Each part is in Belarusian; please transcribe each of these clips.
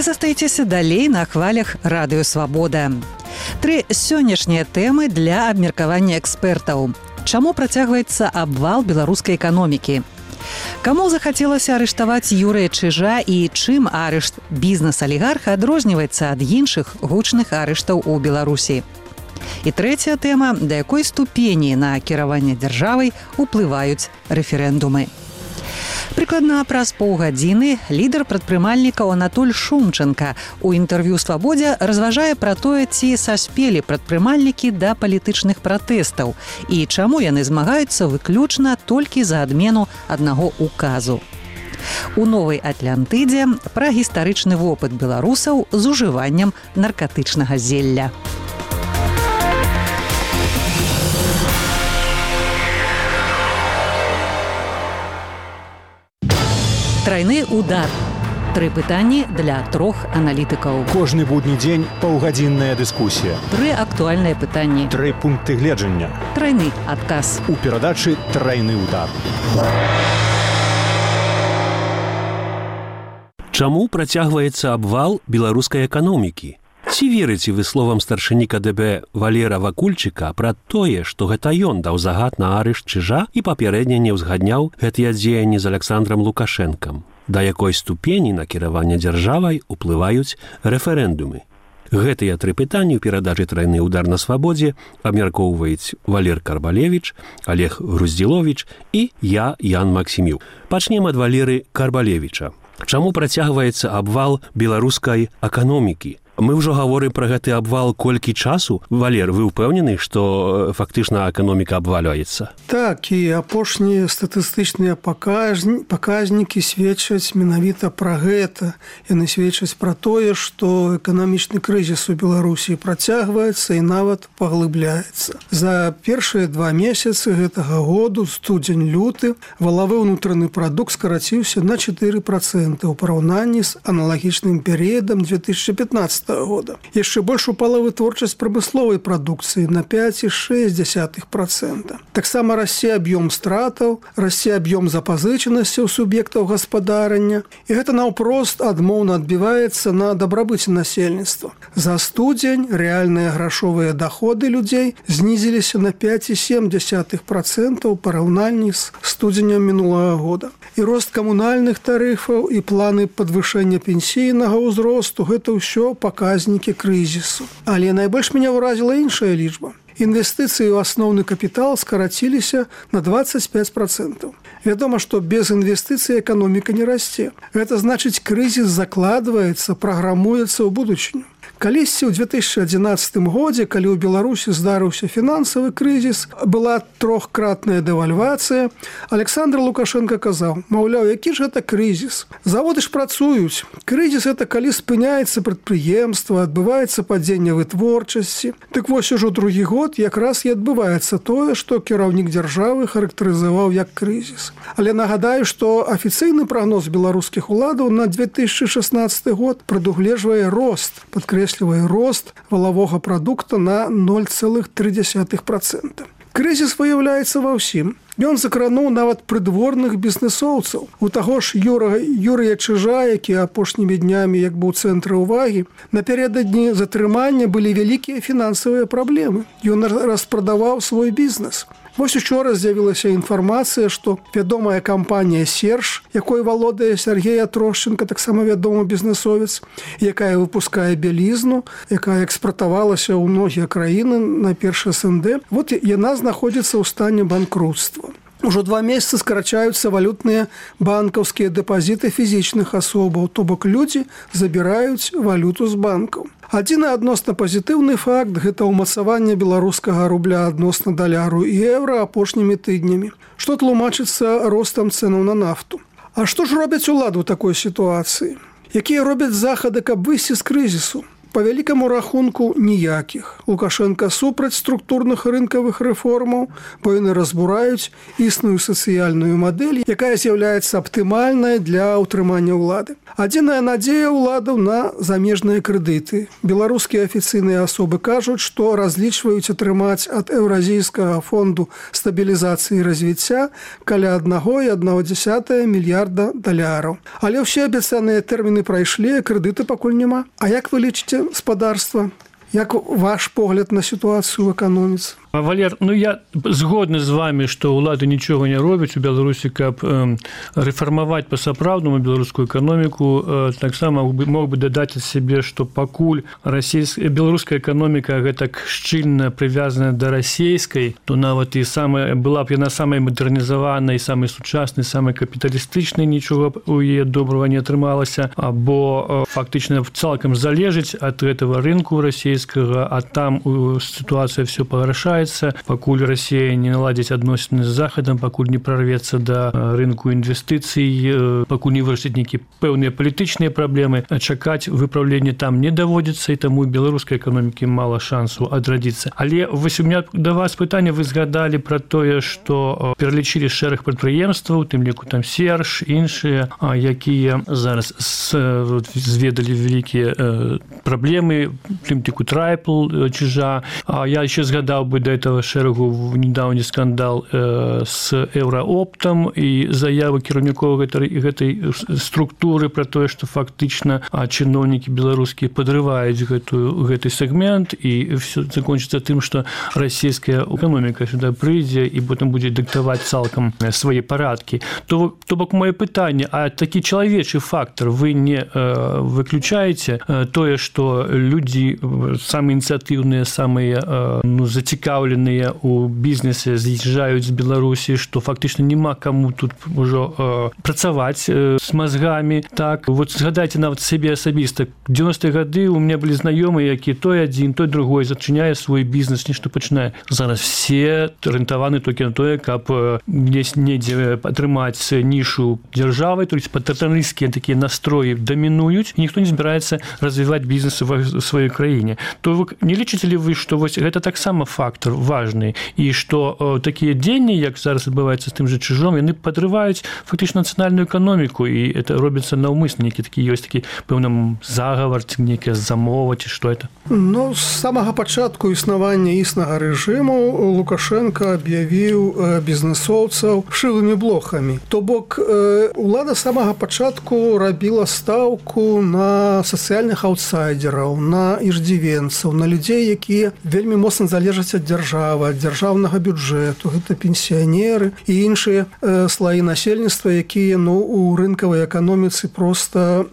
Вы застаецеся далей на хвалях Радыё Свабода. 3 сённяшнія тэмы для абмеркавання экспертаў. Чаму працягваецца абвал беларускай эканомікі? Каму захацелася арыштаваць Юрыя Чижа і чым арышт бізнес-алігарха адрозніваецца ад іншых гучных арыштаў у Беларусі? І трэцяя тэма, да якой ступені на кіраванне дзяржавай уплываюць рэферэндумы. Прыкладна праз паўгадзіны лідар прадпрымальнікаў Анатоль Шумченка у інтэрв'ю «Свабодзе» разважае пра тое, ці саспелі прадпрымальнікі да палітычных пратэстаў і чаму яны змагаюцца выключна толькі за адмену аднаго указу. У «Новай Атлантыдзе» пра гістарычны вопыт беларусаў з ужываннем наркатычнага зелля. Трайны удар. 3 пытанні для 3 аналітыкаў. Кожны будні дзень паўгадзінная дыскусія. 3 актуальныя пытанні. 3 пункты гледжання. Трайны адказ. У перадачы «Трайны удар». Чаму працягваецца абвал беларускай эканомікі? Ці верыце вы словам старшыні КДБ Валера Вакульчыка пра тое, што гэта ён даў загад на арышт Чижа і папярэдне не ўзгадняў гэтыя дзеянні з Александром Лукашэнкам? Да якой ступені на кіраванне дзяржавай уплываюць рэферэндумы? Гэтыя 3 пытанні ў перадачы «Трайны удар» на Свабодзе абмяркоўваюць Валер Карбалевіч, Олег Груздзіловіч і я, Ян Максімюк. Пачнем ад Валеры Карбалевіча. Чаму працягваецца абвал беларускай эканомікі? Мы ўжо гаворым пра гэты абвал колькі часу. Валер, вы ўпэўнены, што фактычна эканоміка абвалюецца? Так, і апошнія статыстычныя паказнікі сведчаць менавіта пра гэта. Яны сведчаць пра тое, што эканамічны крызіс у Беларусі працягваецца і нават паглыбляецца. За першыя 2 месяцы гэтага году, студзень-люты, валавы ўнутраны прадукт скараціўся на 4% у параўнанні з аналагічным перыядам 2015 года. Яшчэ больш упала вытворчасць прамысловай прадукцыі на 5,6%. Таксама расце аб'ём стратаў, расце аб'ём запазычанасцяў суб'ектаў гаспадарання, і гэта наўпрост адмоўна адбіваецца на дабрабыце насельніцтва. За студзень рэальныя грашовыя даходы людзей знізіліся на 5,7% у параўнанні з студзенем мінулага года. І рост камунальных тарыфаў і планы падвышэння пенсійнага ўзросту – гэта ўсё паказнікі крызісу. Але найбольш мяне ўразіла іншая лічба. Інвестыцыі ў асноўны капітал скараціліся на 25%. Вядома, што без інвестыцый эканоміка не расце. Гэта значыць, крызіс закладваецца, праграмуецца ў будучыню. Калісьці ў 2011 годзе, калі ў Беларусі здарыўся фінансавы крызіс, была 3-кратная дэвальвацыя, Александр Лукашенко казаў, маўляў, які ж гэта крызіс? Заводы ж працуюць. Крызіс – гэта калі спыняецца прадпрыемства, адбываецца падзенне вытворчасці. Дык вось ужо другі год якраз і адбываецца тое, што кіраўнік дзяржавы характарызаваў як крызіс. Але нагадаю, што афіцыйны прагноз беларускіх уладаў на 2016 год прадугледжвае рост, падкрэслівае рост валавога прадукта на 0,3%. Крызіс выяўляецца ва ўсім. Ён закрануў нават прыдворных бізнесоўцаў. У таго ж Юрыя Чижа, які апошнімі днямі як быў у цэнтры ўвагі, напярэдадні затрымання былі вялікія фінансавыя праблемы. Ён распрадаваў свой бізнес. Вось учора з'явілася інфармацыя, што вядомая кампанія «Серж», якой валодае Сергей Атрошченко, таксама вядомы бізнесовец, якая выпускае бялізну, якая экспартавалася ў многія краіны на першы СНД, вот яна знаходзіцца ў стане банкрутства. Ужо 2 месяцы скарачаюцца валютныя банкаўскія дэпазіты фізічных асобаў, то бок людзі забіраюць валюту з банкаў. Адзіны адносна пазітыўны факт – гэта ўмацаванне беларускага рубля адносна даляру і еўра апошнімі тыднямі, што тлумачыцца ростам цэнаў на нафту. А што ж робяць улады ў такой сітуацыі? Якія робяць захады, каб выйсці з крызісу? Па вялікаму рахунку ніякіх. Лукашенко супраць структурных рынкавых рэформаў, бо яны разбураюць існую сацыяльную мадэль, якая з'яўляецца аптымальнай для ўтрымання ўлады. Адзіная надзея ўладаў на замежныя крэдыты. Беларускія афіцыйныя асобы кажуць, што разлічваюць атрымаць ад Еўразійскага фонду стабілізацыі і развіцця каля 1,1 мільярда даляраў. Але ўсе абяцаныя тэрміны прайшлі, крэдыты пакуль няма. А як вы лічыце гаспадарства? Як ваш погляд на сітуацыю ў эканоміцы? Валер, я згодны з вами, што ўлады нічога не робяць у Беларусі, каб рэфармаваць па-сапраўднаму беларускую эканоміку. Таксама мог бы дадаць ад сябе, што пакуль беларуская эканоміка гэтак шчыльна прывязана да расійскай, то нават і была б яна самай мадэрнізаванай, самай сучаснай, самай капіталістычнай, нічога у яе добрага не атрымалася, або фактычна цалкам залежыць ад гэтага рынку расійскага, а там сітуацыя все пагаршае. Пакуль Россия не наладзіць адносіны з Захадам, пакуль не прорвецца да рынку інвестыцый, пакуль не вырашыць нейкія пэўныя палітычныя праблемы, чакаць выпраўлення там не даводзіцца, і таму беларускай эканомікі мала шансу адрадзіцца. Але вось у меня да вас пытанне, вы згадалі пра тое, што пералічылі шэраг прадпрыемстваў, у тым ліку там Серж, іншыя, якія зараз зведалі вялікія праблемы, у тым ліку Трайпл, Чижа. Я еще згадаў бы да этого шэрагу недаўні скандал с Еўраоптам і заявы кіраўнікоў гэтай структуры пра тое, што фактычна чыноўнікі беларускія падрываюць гэты сегмент, і все закончыцца тым, што расійская эканоміка сюда прыйдзе і потым будзе дыктаваць цалкам свае парадкі. То бок моё пытанне, а такі чалавечы фактор вы не выключаеце тое, што людзі самыя ініцыятыўныя, самыя зацікаўленыя у бізнесе з'язджаюць з Беларусі, што фактычна няма каму тут ужо працаваць з мазгамі. Так, вот згадайце нават сябе асабіста. 90-е гады у меня былі знаёмыя, які той адзін, той другой зачыняе свой бізнес, нешта пачынае. Зараз все арыентаваны толькі на тое, каб недзе атрымаць нішу дзяржавы, то есть патэрналісцкія такія настроі дамінуюць, і ніхто не збіраецца развіваць бізнес у сваёй краіне. То вы не лічыце ли вы, што вось гэта таксама фактор важны, і што такія дзеянні, як зараз адбываецца з тым жа Чижом, яны падрываюць фактычна нацыянальную эканоміку, і это робіцца наўмысна, нейкі такі ёсць такі пэўны загавар, ці нейкая замова, ці што это? З самага пачатку існавання існага рэжыму Лукашенко аб'явіў бізнесоўцаў шылымі блохамі. То бок улада з самага пачатку рабіла стаўку на сацыяльных аўтсайдераў, на іждзівенцаў, на людзей, якія вельмі моцна залежаць ад дзяржавы, ад дзяржаўнага бюджэту. Гэта пенсіянеры і іншыя слаі насельніцтва, якія у рынкавай эканоміцы проста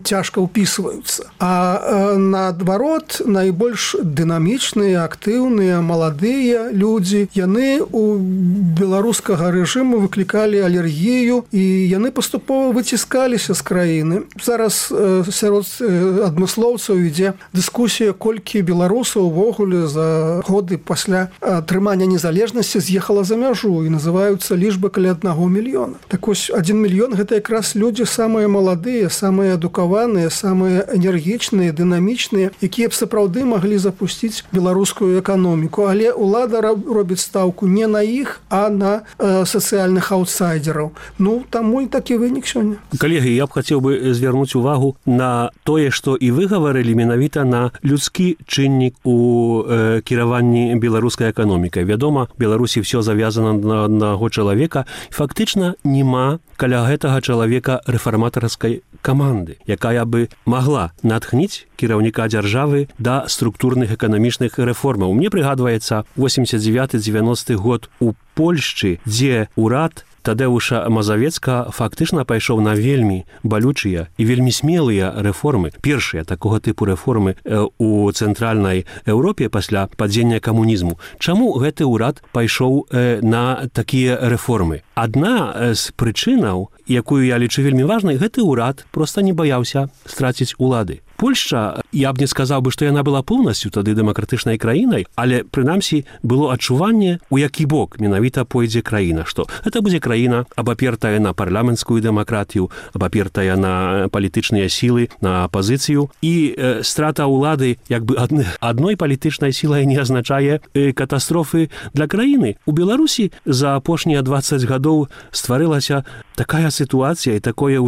цяжка ўпісваюцца. А наадварот, найбольш дынамічныя, актыўныя, маладыя людзі, яны у беларускага рэжыму выклікалі алергію, і яны паступова выціскаліся з краіны. Зараз сярод адмыслоўцаў ідзе дыскусія, колькі беларусаў увогуле за годы пасля атрымання незалежнасці з'ехала за мяжу, і называюцца лічбы каля 1 мільёна. Так вось, 1 мільён – гэта якраз людзі самыя маладыя, самыя адукаваныя, самыя энергічныя, дынамічныя, якія б сапраўды маглі запусціць беларускую эканоміку. Але ўлада робіць стаўку не на іх, а на сацыяльных аўтсайдераў. Таму і такі вынік сёння. Калегі, я б хацеў бы звярнуць увагу на тое, што і вы гаварылі менавіта на людскі чыннік у кіраванні беларускай эканомікай. Вядома, Беларусі все завязана на аднаго чалавека. Фактычна няма каля гэтага чалавека рэфарматарскай каманды, якая бы магла натхніць кіраўніка дзяржавы да структурных эканамічных рэформаў. Мне прыгадваецца 89-90 год у Польшчы, дзе ўрад Тадеуша Мазавецка фактычна пайшоў на вельмі балючыя і вельмі смелыя рэформы. Першыя такога тыпу рэформы у цэнтральнай Еўропе пасля падзення камунізму. Чаму гэты ўрад пайшоў на такія рэформы? Адна з прычынаў, якую я лічу вельмі важнай, гэты ўрад проста не баяўся страціць улады. Польшча, я б не сказаў бы, што яна была поўнасцю тады дэмакратычнай краінай, але прынамсі было адчуванне, у які бок менавіта пойдзе краіна, што гэта будзе краіна, абапертая на парламенцкую дэмакратію, абапертая на палітычныя сілы, на апазіцыю, і страта ўлады як бы адной палітычнай сілай не азначае катастрофы для краіны. У Беларусі за апошнія 20 гадоў стварылася такая сітуацыя і такое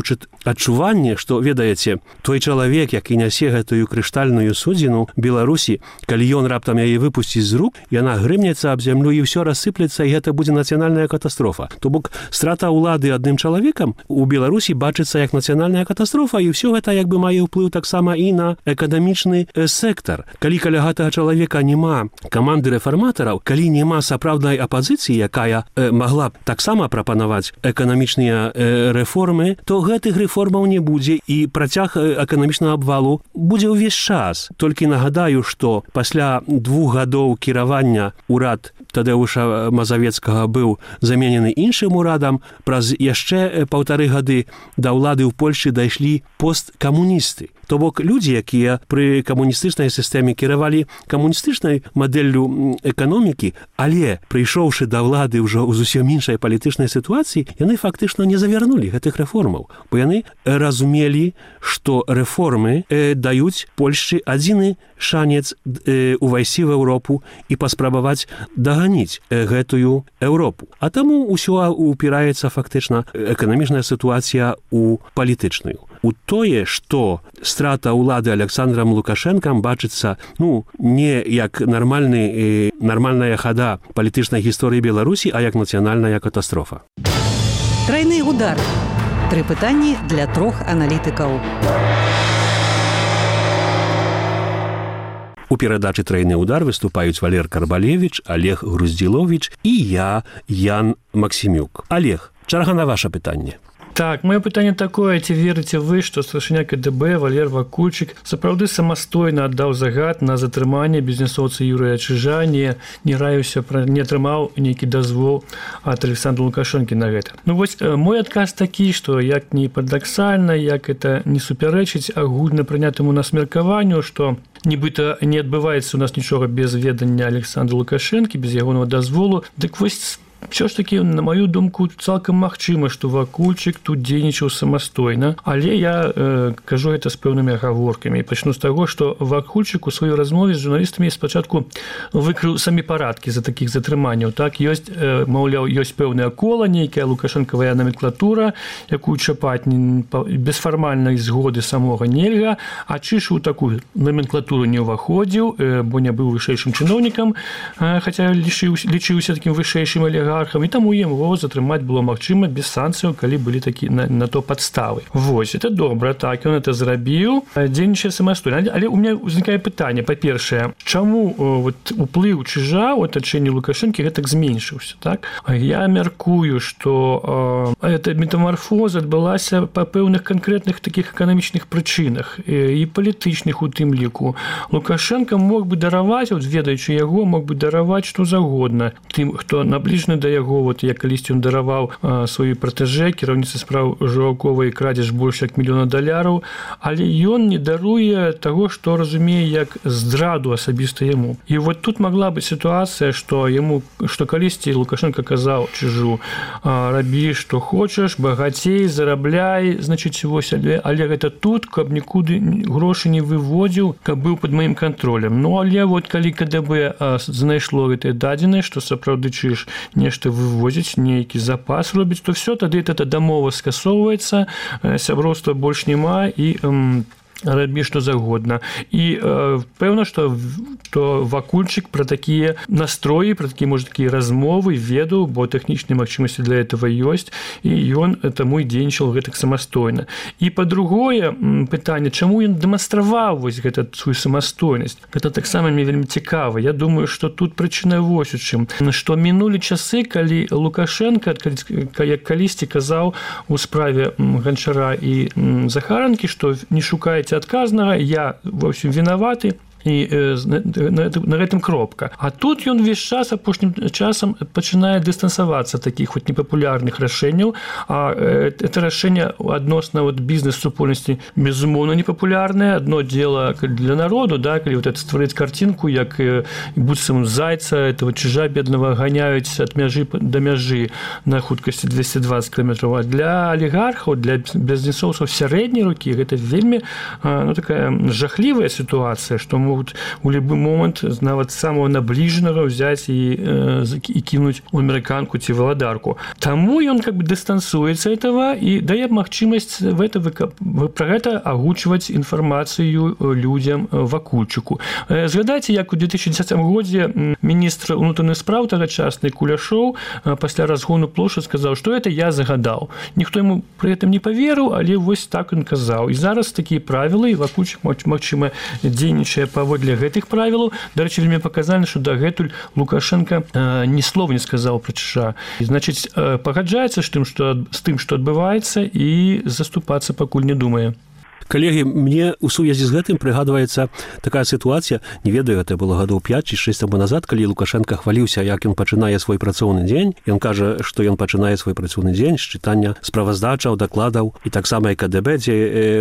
адчуванне, што, ведаеце, той чалавек, які нясе гэтую крыштальную судзіну Беларусі, калі ён раптам яе выпусціць з рук, яна грымнецца аб зямлю і ўсё рассыплецца, і гэта будзе нацыянальная катастрофа. То бок страта ўлады адным чалавекам у Беларусі бачыцца як нацыянальная катастрофа, і ўсё гэта як бы мае ўплыў таксама і на эканамічны сектар. Калі каля гэтага чалавека няма каманды рэфарматараў, калі няма сапраўднай апазіцыі, якая магла б таксама прапанаваць эканамічныя рэформы, то гэтых рэформаў не будзе, і працяг эканамічнага абвалу будзе ўвесь час. Толькі нагадаю, што пасля 2 гадоў кіравання ўрад Тадэуша Мазавецкага быў заменены іншым урадам, праз яшчэ 1,5 гады да ўлады ў Польшчы дайшлі посткамуністы. То бок людзі, якія пры камуністычнай сістэме кіравалі камуністычнай мадэллю эканомікі, але прыйшоўшы да ўлады ўжо ў зусім іншай палітычнай сітуацыі, яны фактычна не завярнулі гэтых рэформаў, бо яны разумелі, што рэформы даюць Польшчы адзіны шанец увайсці в Еўропу і паспрабаваць даганіць гэтую Еўропу. А таму ўсё упіраецца фактычна эканамічная сітуацыя у палітычную. У тое, што страта ўлады Александрам Лукашэнкам бачыцца, не як нармальная хада палітычнай гісторыі Беларусі, а як нацыянальная катастрофа. Трайны удар. 3 пытанні для 3 аналітыкаў. У перадачы «Трайны удар» выступаюць Валер Карбалевіч, Олег Груздзіловіч і я, Ян Максімюк. Олег, чарга на ваше пытанне. Так, моё пытанне такое, ці верыце вы, што старшыня КДБ Валер Вакульчык сапраўды самастойна аддаў загад на затрыманне бізнесоўца Юрыя Чижа, не атрымаў нейкі дазвол ад Александра Лукашэнкі на гэта. Мой адказ такі, што як не парадаксальна, як это не супярэчыць агульна прынятаму нас меркаванню, што нібыта не адбываецца у нас нічога без ведання Александра Лукашэнкі, без ягонага дазволу, дык вось все ж таки, на мою думку, цалкам магчыма, што Вакульчык тут дзейнічаў самастойна, але я кажу гэта з пэўнымі агаворкамі. Пачну з таго, што Вакульчык у сваёй размове з журналістамі спачатку выкрыў самі парадкі за такіх затрыманняў. Так, маўляў, ёсць пэўная кола, нейкая лукашэнкавая номенклатура, якую чапаць без фармальнай згоды самога нельга, а Чиж у такую номенклатуру не ўваходзіў, бо не быў вышэйшым чыноўнікам, хаця лічыўся такім вышэйшым алігархам, і таму яму затрымаць было магчыма без санкцыяў, калі былі такі на то падставы. Вось, это добра, так, ён это зрабіў, дзейнічае самастойна. Але у меня ўзнікае пытанне, па-першае, чаму уплыў Чижа ў атачэнні Лукашэнкі гэтак зменшыўся, так? Я мяркую, што эта метамарфоза адбылася па пэўных канкрэтных такіх эканамічных прычынах і палітычных у тым ліку. Лукашэнка мог бы дараваць, ведаючы яго, мог бы дараваць што загодна тым, хто набліжаны да яго, як калісьці ён дараваў сваёй пратэжэ, кіраўніцы спраў Жураковай крадзеж больш як $1 мільёна, але ён не даруе таго, што разумее як здраду асабіста яму. І тут могла быць сітуацыя, што калісьці Лукашенко казаў Чижу: рабі, што хочаш, багацей, зарабляй, значыць, вось, але гэта тут, каб нікуды грошы не выводзіў, каб быў пад маім кантролем. Але калі КДБ знайшло гэтыя дадзеныя, што сапраўды Чиж нешта вывозіць, нейкі запас робіць, то все, тады эта дамова скасоўваецца, сяброўства больш няма і рабі што загодна. І пэўна, што Вакульчык пра такія настроі, пра такія размовы ведаў, бо тэхнічныя магчымасці для этого ёсць, і ён таму і дзейнічаў гэтак самастойна. І па-другое пытанне, чаму ён дэманстраваў вось гэта сваю самастойнасць? Гэта таксама мне вельмі цікава. Я думаю, што тут прычына вось у чым, што мінулі часы, калі Лукашенко, як калісьці казаў у справе Ганчара і Захаранкі, што не шукаеце адказнага, я ва ўсім вінаваты, і на гэтым кропка. А тут ён увесь час апошнім часам пачынае дыстансавацца ад такіх вот непапулярных рашэнняў, а это рашэнне адносна вот бізнес-супольнасці безумоўна непапулярнае. Одно дело для народу, да, калі вот это стварыць картинку, як быццам зайца этого чижа бедного гоняюць ад мяжы да мяжы на хуткасці 220 км, а для алігархаў, для бізнесоўцаў сярэдняй рукі гэта вельмі такая жахлівая сітуацыя, што могуць у любы момант нават самого набліжанага ўзяць і кінуць у амерыканку ці валадарку. Таму ён как бы дыстансуецца этого і дае магчымасць пра гэта агучваць інфармацыю людзям Вакульчыку. Згадайце, як у 2010 годзе міністр унутраных спраў тагачасны Куляшоў пасля разгону плошчы сказаў, што это я загадаў. Ніхто яму пры гэтым не паверыў, але вось так ён казаў. І зараз такія правілы, і Вакульчык, магчыма, дзейнічае паводле гэтых правілаў. Дарэчы, вельмі паказальна, што дагэтуль Лукашенко ні слова не сказаў пра Чижа. Значыць, пагаджаецца з тым, што адбываецца, і заступацца пакуль не думае. Калегі, мне ў сувязі з гэтым прыгадваецца такая сітуацыя, не ведаю, гэта было гадоў 5 ці 6 таму назад, калі Лукашенко хваліўся, як ён пачынае свой працоўны дзень. Ён кажа, што ён пачынае свой працоўны дзень з чытання справаздачаў, дакладаў, і таксама і КДБ, дзе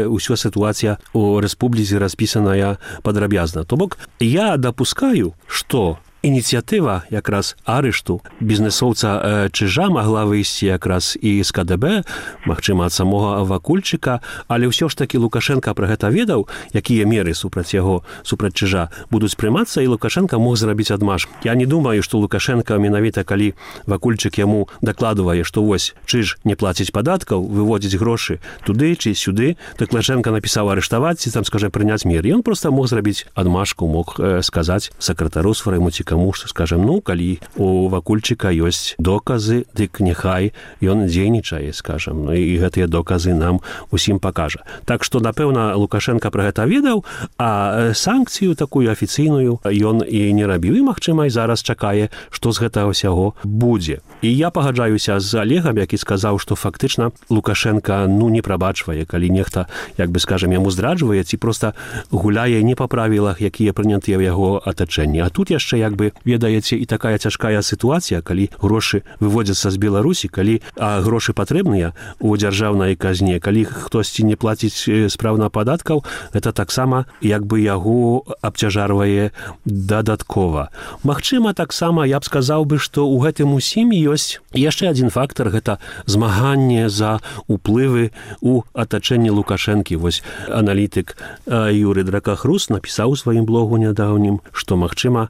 ўсё сітуацыя ў рэспубліцы распісаная падрабязна. То бок, я дапускаю, што ініцыятыва якраз арышту бізнесоўца Чижа магла выйсці якраз і з КДБ, магчыма, ад самога Вакульчыка, але ўсё ж такі Лукашенко пра гэта ведаў, якія меры супраць яго, супраць Чижа будуць прымацца, і Лукашенко мог зрабіць адмаш. Я не думаю, што Лукашенко менавіта, калі Вакульчык яму дакладвае, што вось Чиж не плаціць падаткаў, выводзіць грошы туды ці сюды, так Лукашенко напісаў арыштаваць ці там, скажем, прыняць меры. Ён проста мог зрабіць адмашку, мог сказаць сакратару свайму ці каму, што, скажем, калі у Вакульчыка ёсць доказы, дык няхай ён дзейнічае, скажем, і гэтыя доказы нам усім пакажа. Так што, напэўна, Лукашенко пра гэта ведаў, а санкцыю такую афіцыйную ён і не рабіў, і, магчыма, і зараз чакае, што з гэтага ўсяго будзе. І я пагаджаюся з Олегам, які сказаў, што фактычна Лукашенко не прабачвае, калі нехта, як бы, скажем, яму здраджвае, ці проста гуляе не па правілах, якія прынятыя ў яго атачэнні. А тут яшчэ, як бы, ведаеце, і такая цяжкая сітуацыя, калі грошы выводзяцца з Беларусі, калі грошы патрэбныя у дзяржаўнай казне, калі хтосьці не плаціць спраўна падаткаў, гэта таксама, як бы, яго абцяжарвае дадаткова. Магчыма, таксама я б сказаў бы, што ў гэтым усім ёсць яшчэ адзін фактар, гэта змаганне за уплывы у атачэнні Лукашэнкі. Вось аналітык Юрый Дракахрус напісаў у сваім блогу нядаўнім, што, магчыма,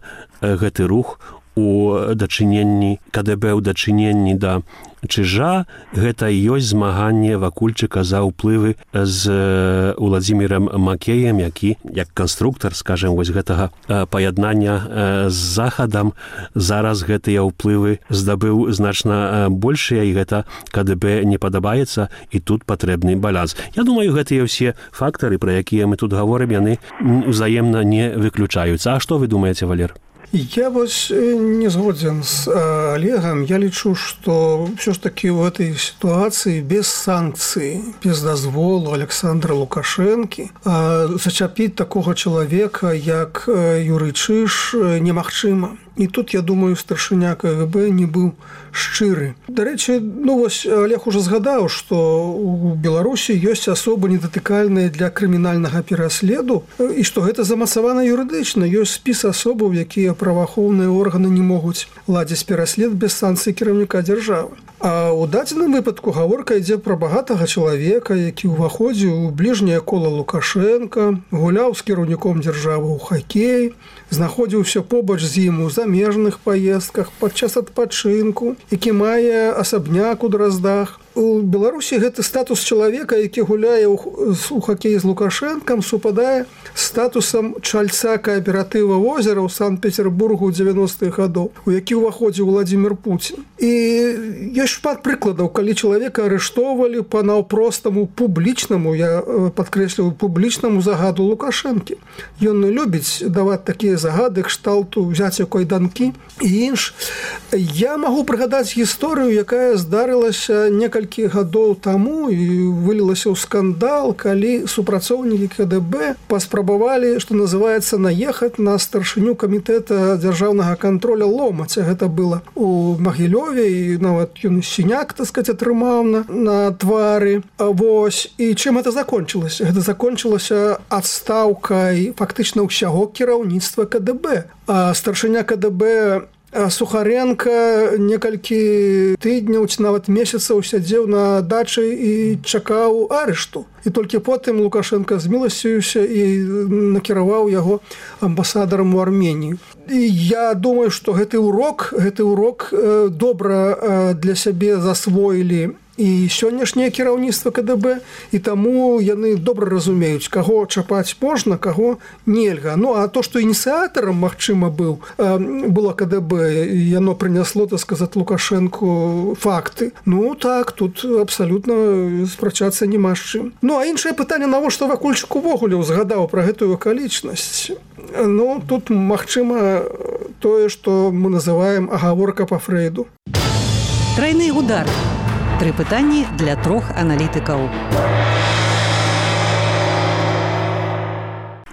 гэты рух у дачыненні КДБ, у дачыненні да Чижа, гэта ёсць змаганне Вакульчыка за ўплывы з Уладзімірам Макеем, які, як канструктар, скажем, вось гэтага паяднання з Захадам, зараз гэтыя ўплывы здабыў значна большыя, і гэта КДБ не падабаецца, і тут патрэбны баланс. Я думаю, гэтыя ўсе фактары, пра якія мы тут гаворым, яны узаемна не выключаюцца. А што вы думаеце, Валер? Я вось не згодзен з Олегам. Я лічу, што ўсё ж такі ў гэтай сітуацыі без санкцый, без дазволу Александра Лукашэнкі зачапіць такога чалавека, як Юрый Чиж, немагчыма. І тут, я думаю, старшыня КГБ не быў шчыры. Дарэчы, вось Олег уже згадаў, што у Беларусі ёсць асобы недатыкальныя для крымінальнага пераследу, і што гэта замацавана юрыдычна. Ёсць спіс асобаў, якія праваахоўныя органы не могуць ладзіць пераслед без санкцый кіраўніка дзяржавы. А ў дадзеным выпадку гаворка ідзе пра багатага чалавека, які ўваходзіў у бліжняе кола Лукашенка, гуляў з кіраўніком дзяржавы ў хакей, знаходзіўся побач з ім у замежных паездках падчас адпачынку, які мае асабняк у Драздах. У Беларусі гэты статус чалавека, які гуляе у хакеі з Лукашэнкам, супадае з статусам чальца кааператыва «Озера» ў Санкт-Петербургу ў 90-х гадоў, у які ўваходзіў Владзімір Пуцін. І ёсць шмат прыкладаў, калі чалавека арыштоўвалі па наўпростаму публічнаму, я падкрэсліваю, публічнаму загаду Лукашэнкі. Ён любіць даваць такія загады кшталту «Взяць кайданкі» і інш. Я магу прыгадаць гісторыю, якая здарылася некалькі некалькі гадоў таму і вылілася ў скандал, калі супрацоўнікі КДБ паспрабавалі, што называецца, наехаць на старшыню камітэта дзяржаўнага контроля Ломаця. Гэта было у Магілёве, і нават ён сіняк, так сказать, атрымаў на твары. Вось. І чым гэта закончылася? Гэта закончылася адстаўкай фактычна ўсяго кіраўніцтва КДБ. А старшыня КДБ Сухаренко некалькі тыдняў ці нават месяцаў сядзеў на дачы і чакаў арышту. І толькі потым Лукашенко зміласціўся і накіраваў яго амбасадарам у Арменію. І я думаю, што гэты урок добра для сябе засвоілі і сённяшняе кіраўніцтва КДБ, і таму яны добра разумеюць, каго чапаць можна, каго нельга. Ну, а то, што ініцыятарам, магчыма, было КДБ, яно прынясло, так сказаць, Лукашенку факты. Ну, так, тут абсалютна спрачацца няма з чым. Ну, а іншае пытанне, навошта Вакульчык увогуле узгадаў пра гэтую акалічнасць? Ну, тут, магчыма, тое, што мы называем агаворка па Фрейду. Трайны удар. 3 пытанні для 3 аналітыкаў.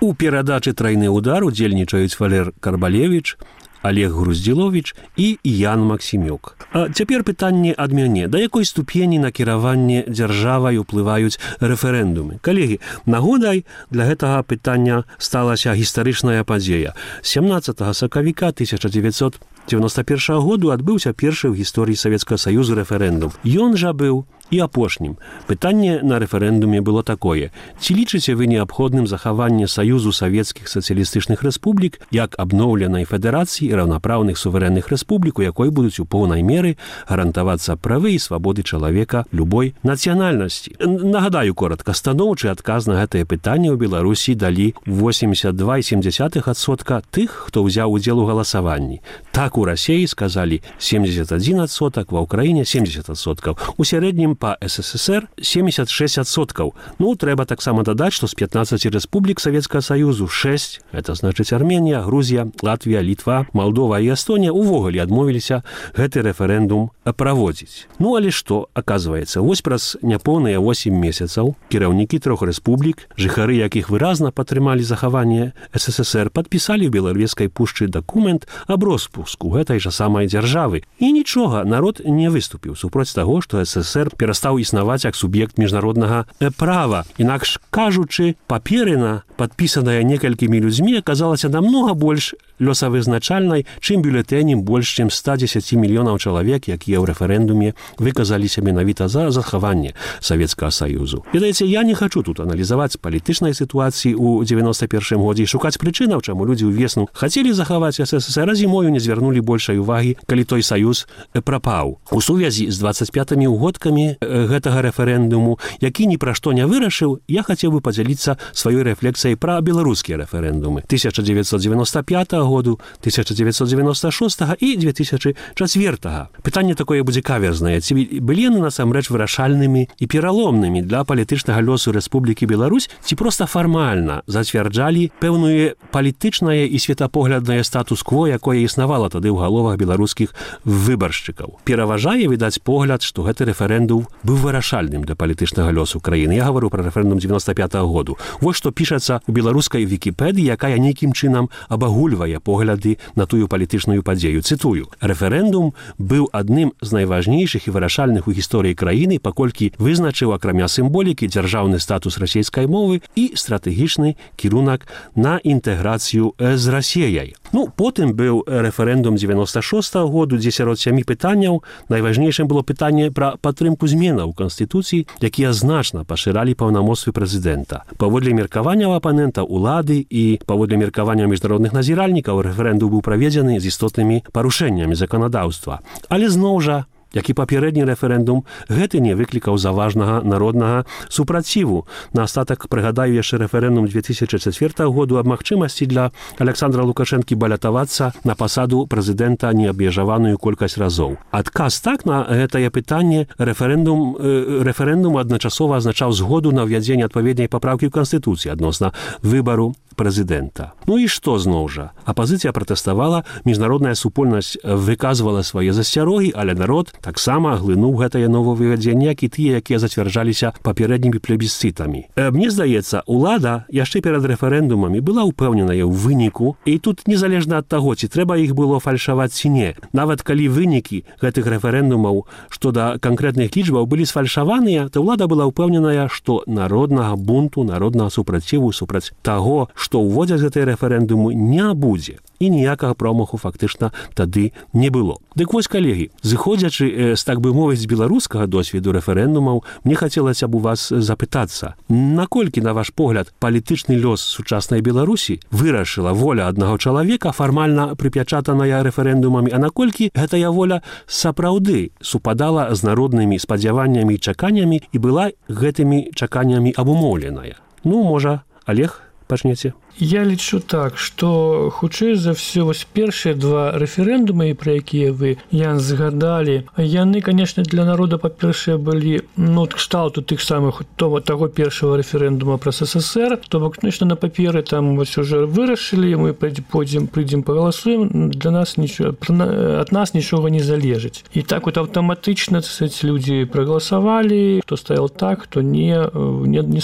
У перадачы «Трайны удар» удзельнічаюць Валер Карбалевіч, Олег Груздзіловіч і Ян Максімюк. А цяпер пытанне ад мяне. Да якой ступені на кіраванне дзяржавай уплываюць рэферэндумы? Калегі, нагодай для гэтага пытання сталася гістарычная падзея. 17 сакавіка 1991 году адбыўся першы ў гісторыі Савецкага Саюзу рэферэндум. Ён жа быў і апошнім. Пытанне на рэферэндуме было такое. Ці лічыце вы неабходным захаванне Саюзу Савецкіх сацыялістычных рэспублік як абноўленай федэрацыі раўнапраўных суверэнных рэспублік, у якой будуць у поўнай меры гарантавацца правы і свабоды чалавека любой нацыянальнасці? Нагадаю коротка, станоўчы адказ на гэтае пытанне ў Беларусі далі 82,7% тых, хто ўзяў удзел у галасаванні. Так у Расіі сказалі 71%, ва Ўкраіне 70%. У сярэднім па СССР 76%. Ну, трэба таксама дадаць, што з 15 рэспублік Савецкага Саюзу 6, это значыць Арменія, Грузія, Латвія, Літва, Малдова і Эстонія увогуле адмовіліся гэты рэферэндум праводзіць. Ну, але што, аказваецца, вось праз няпоўныя 8 месяцаў кіраўнікі 3 рэспублік, жыхары якіх выразна падтрымалі захаванне СССР, падпісалі ў Беларускай пушчы дакумент аб роспуску гэтай жа самай дзяржавы. І нічога, народ не выступіў супроць таго, што СССР перастаў існаваць як суб'ект міжнароднага права. Інакш кажучы, паперына, падпісаная некалькімі людзьмі, аказалася намнога больш лёсавызначальнай, чым бюлетэнем больш чым 110 мільёнаў чалавек, якія ў рэферэндуме выказаліся менавіта за захаванне Савецкага Саюзу. Ведаеце, я не хачу тут аналізаваць палітычнай сітуацыі ў 91 годзе і шукаць прычынаў, чаму людзі ўвесну хацелі захаваць СССР, а зімою не звярнулі большай увагі, калі той саюз прапаў. У сувязі з 25 угодкамі гэтага рэферэндуму, які ні пра што не вырашыў, я хацеў бы падзяліцца сваёй рэфлексіяй пра беларускія рэферэндумы 1995 году, 1996 і 2004. Пытанне такое будзе каверзнае. Ці былі яны насамрэч вырашальнымі і пераломнымі для палітычнага лёсу Рэспублікі Беларусь, ці проста фармальна зацвярджалі пэўнае палітычнае і светапогляднае статус-кво, якое існавала тады ў галовах беларускіх выбаршчыкаў. Пераважае, відаць, погляд, што гэты рэферэндум быў вырашальным для палітычнага лёсу краіны. Я гавару пра рэферэндум 95 году. Вось што пішацца ў беларускай Вікіпедыі, якая нейкім чынам абагульвае погляды на тую палітычную падзею. Цытую. Рэферэндум быў адным з найважнейшых і вырашальных у гісторыі краіны, паколькі вызначыў, акрамя сімволікі, дзяржаўны статус расійскай мовы і стратэгічны кірунак на інтэграцыю з Расіяй. Ну, потым быў рэферэндум 96 году, дзе сярод 7 пытанняў найважнейшым было пытанне пра падтрымку зменаў у Канстытуцыі, якія значна пашыралі паўнамоцтвы прэзідэнта. Паводле меркавання апанента улады і паводле меркавання міжнародных назіральнікаў рэферэндум быў праведзены з істотнымі парушэннямі заканадаўства. Але зноў жа, як і папярэдні рэферэндум, гэты не выклікаў заважнага народнага супраціву. Наастатак прыгадаю яшчэ рэферэндум 2004 году аб магчымасці для Александра Лукашэнкі балятавацца на пасаду прэзідэнта неабмежаваную колькасць разоў. Адказ так на гэтае пытанне рэферэндум адначасова азначаў згоду на ўвядзенне адпаведнай папраўкі ў Канстытуцыі адносна выбару прэзідэнта. Ну і што зноў жа? Апазіцыя пратэставала, міжнародная супольнасць выказвала свае засцярогі, але народ таксама глынуў гэтае новаўвядзенне, як і тыя, якія зацвярджаліся папярэднімі плебісцытамі. Мне здаецца, улада яшчэ перад рэферэндумамі была ўпэўненая ў выніку, і тут незалежна ад таго, ці трэба іх было фальшаваць ці не. Нават калі вынікі гэтых рэферэндумаў што да канкрэтных лічбаў былі сфальшаваныя, то ўлада была ўпэўненая, што народнага бунту, народнага супраціву супраць таго, што ўводзяць гэтыя рэферэндумы, не будзе. І ніякага промаху фактычна тады не было. Дык вось, калегі, зыходзячы, так бы мовіць, з беларускага досведу рэферэндумаў, мне хацелася б у вас запытацца, наколькі, на ваш погляд, палітычны лёс сучаснай Беларусі вырашыла воля аднаго чалавека, фармальна прыпячатаная рэферэндумамі, а наколькі гэтая воля сапраўды супадала з народнымі спадзяваннямі і чаканнямі і была гэтымі чаканнямі абумоўленая. Ну, можа, Олег, пачнеце? Я лічу так, што хутчэй за ўсё вось першыя два рэферэндумы, пра якія вы, Ян, згадалі, яны, канешне, для народа, па-першае, былі кшталту тых самых таго першага рэферэндума пра СССР, то бок, конечно, на паперы там вось уже вырашылі, мы прыйдзем пагаласуем, для нас ад нас нічога не залежыць. І так вот аўтаматычна людзі прагаласавалі, хто стаяў так, хто не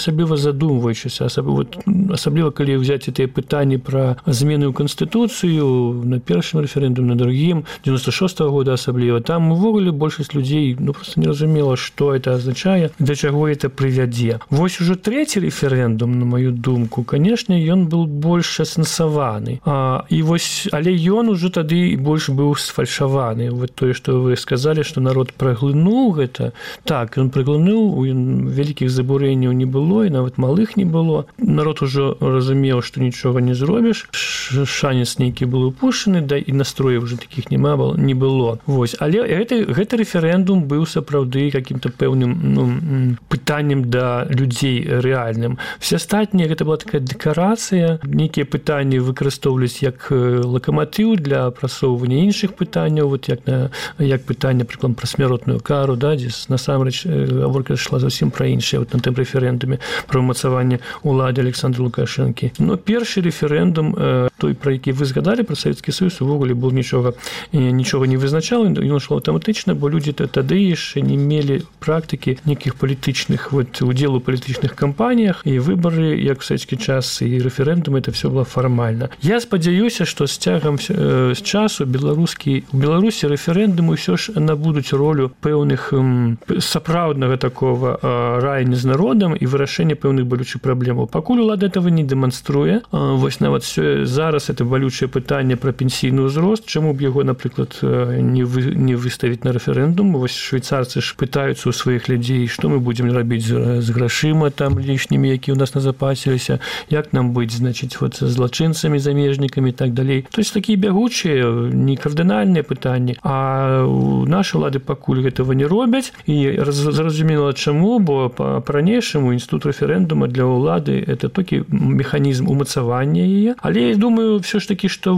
асабліва задумваючыся, асабліва калі ўзяць тыя пытанні пра змены ў Канстытуцыю на першым рэферэндуме, на другім, 96-го года асабліва. Там увогуле большасць людзей просто не разумела, што это азначае, да чаго это прывядзе. Вось ужо трэці рэферэндум, на маю думку, канешне, ён был больш асэнсаваны. Але ён ужо тады больш быў сфальшаваны. Вот тое, што вы сказалі, што народ праглынуў гэта. Так, ён праглынуў, вялікіх забурэнняў не было, і нават малых не было. Народ ужо разумеў, што нічога не зробіш, шанец нейкі быў упушчаны, да і настрояў уже такіх не было. Вось. Але гэты рэферэндум быў сапраўды каким-то пэўным пытаннем да людзей рэальным. Все астатнія гэта была такая дэкарацыя, нейкія пытанні выкарыстоўвались як лакаматыў для прасоўвання іншых пытанняў, вот як пытанне, прыклад, пра смяротную кару, да, дзе насамрэч гаворка ішла зусім пра іншае вот на тым рэферэндуме пра ўмацаванне улады Александра Лукашэнкі. Но першы рэферэндум, той, пра які вы згадалі, пра Савецкі Саюз, увогуле был нічога не вызначаў, ён ішло аўтаматычна, бо людзі тады яшчэ не мелі практыкі нейкіх палітычных, удзелу ў палітычных кампаніях, і выбары, як у савецкі час, і рэферэндум, это все было фармальна. Я спадзяюся, што з цягам з часу у Беларусі рэферэндумы ўсё ж набудуць ролю пэўных сапраўднага такого раяння з народам і вырашэння пэўных балючых праблемаў. Пакуль улада этого не дэманструе. Вось нават зараз это балючае пытанне пра пенсійны ўзрост, чаму б яго, напрыклад, не выставіць на рэферэндум. Вось швейцарцы ж пытаюцца ў сваіх людзей, што мы будзем рабіць з грашыма там лішнімі, якія ў нас назапасіліся, як нам быць, значыць, вот з злачынцамі, замежнікамі і так далей. То есть такія бягучыя, не кардынальныя пытанні, а нашы ўлады пакуль гэтага не робяць, і зразумела чаму, бо па-ранейшаму інстытут рэферэндума для ўлады это толькі механізм умацавання яе. Але я думаю, все ж таки, што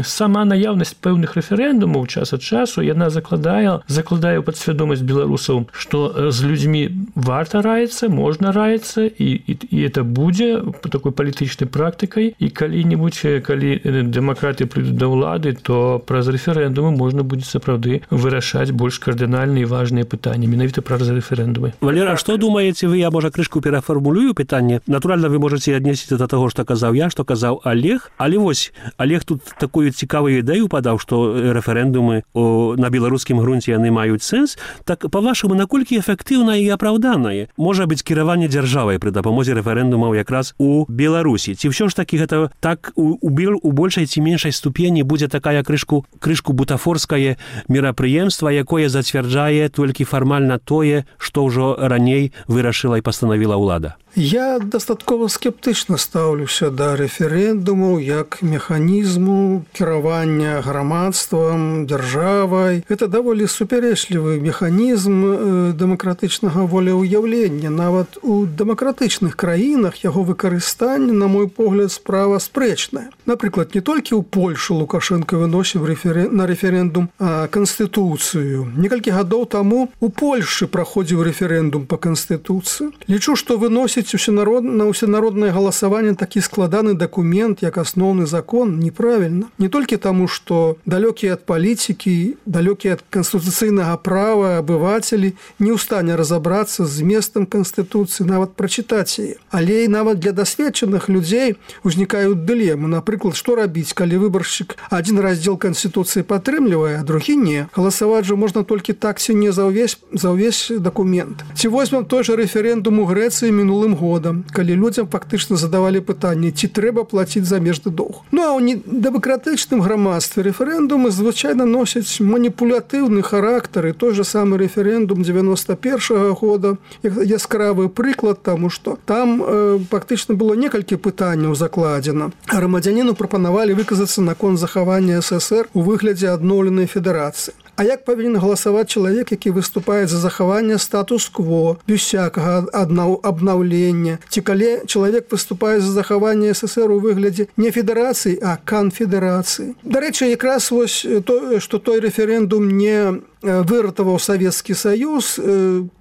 сама наяўнасць пэўных рэферэндумаў час ад часу, яна закладае ў падсвядомасць беларусаў, што з людзьмі варта раіцца, можна раіцца, і это будзе такой палітычнай практыкай, і калі-небудзь, калі дэмакраты прыйдуць да ўлады, то праз рэферэндумы можна будзе сапраўды вырашаць больш кардынальныя і важныя пытанні, менавіта праз рэферэндумы. Валера, што думаеце вы? Я, можа, крышку перафармулюю пытанне. Натуральна, вы можаце аднесіць да таго, што казаў я, што казаў Олег. Але вось, Олег тут такую цікавую ідэю падаў, што рэферэндумы на беларускім грунце яны маюць сэнс. Так, па-вашаму, наколькі эфектыўна і апраўданае можа быць кіраванне дзяржавай пры дапамозе рэферэндумаў якраз у Беларусі? Ці ўсё ж такі гэта так у большай ці меншай ступені будзе такая крышку бутафорскае мерапрыемства, якое зацвярджае толькі фармальна тое, што ўжо раней вырашыла і пастанавіла ўлада? Я дастаткова скептычна стаўлюся да рэферэндумаў як механізму кіравання грамадствам, дзяржавай. Гэта даволі супярэчлівы механізм дэмакратычнага волеўяўлення. Нават у дэмакратычных краінах яго выкарыстанне, на мой погляд, справа спрэчная. Напрыклад, не толькі ў Польшу Лукашенко выносіў на рэферэндум Канстытуцыю. Некалькі гадоў таму у Польшы праходзіў рэферэндум па Канстытуцыі. Лічу, што выносіць выносіць на ўсенароднае галасаванне такі складаны дакумент, як асноўны закон, неправільна. Не толькі таму, што далёкія ад палітыкі, далёкія ад канстытуцыйнага права абывацелі не ў стане разабрацца з зместам Канстытуцыі, нават прачытаць яе. Але і нават для дасведчаных людзей узнікаюць дылемы. Напрыклад, што рабіць, калі выбаршчык адзін раздзел Канстытуцыі падтрымлівае, а другі не. Галасаваць жа можна толькі так ці не за ўвесь дакумент. Ці возьмем той жа рэферэндум у Грэцыі мінулым годам, калі людзям фактычна задавалі пытанне, ці трэба плаціць замежны доўг. Ну а ў дэмакратычным грамадстве рэферэндумы звычайна носяць маніпулятыўны характар, і той жа самы рэферэндум 91-го года яскравы прыклад, таму што там фактычна было некалькі пытанняў закладзена. Грамадзяніну прапанавалі выказацца наконт захавання ССР у выглядзе адноўленай федэрацыі. А як павінен галасаваць чалавек, які выступае за захаванне статус-кво, без всякага абнаўлення? Ці калі чалавек выступае за захаванне ССР у выглядзе не федэрацыі, а канфедэрацыі? Дарэчы, якраз вось то, што той рэферэндум не выратаваў Савецкі Саюз,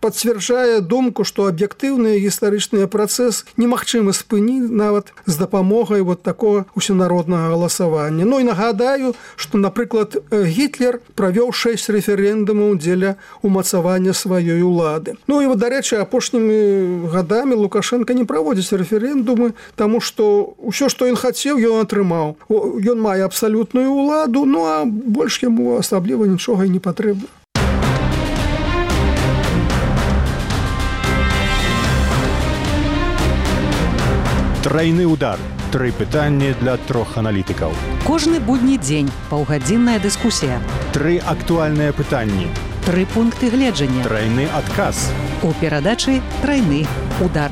пацвярджае думку, што аб'ектыўны гістарычны працэс немагчыма спыніць нават з дапамогай вот такого усенароднага галасавання. Ну і нагадаю, што, напрыклад, Гітлер правёў 6 рэферэндумаў дзеля умацавання сваёй улады. Ну і, дарэчы, апошнімі гадамі Лукашенко не праводзіць рэферэндумы, таму што ўсё, што ён хацеў, ён атрымаў. Ён мае абсалютную ўладу, ну а больш яму асабліва нічога і не патрэбна. Трайны удар. 3 пытанні для 3 аналітыкаў. Кожны будні дзень паўгадзінная дыскусія. 3 актуальныя пытанні. 3 пункты гледжання. Трайны адказ. У перадачы «Трайны удар».